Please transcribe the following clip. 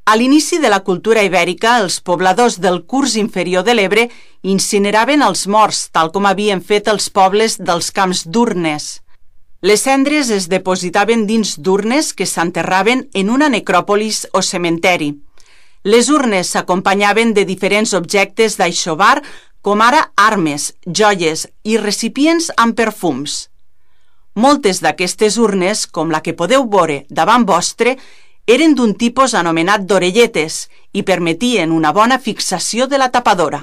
A l'inici de la cultura ibèrica, els pobladors del curs inferior de l'Ebre incineraven els morts, tal com havien fet els pobles dels camps d'urnes. Les cendres es depositaven dins d'urnes que s'enterraven en una necròpolis o cementeri. Les urnes s'acompanyaven de diferents objectes d'aixovar, com ara armes, joies i recipients amb perfums. Moltes d'aquestes urnes, com la que podeu veure davant vostre, eren d'un tipus anomenat d'orelletes i permetien una bona fixació de la tapadora.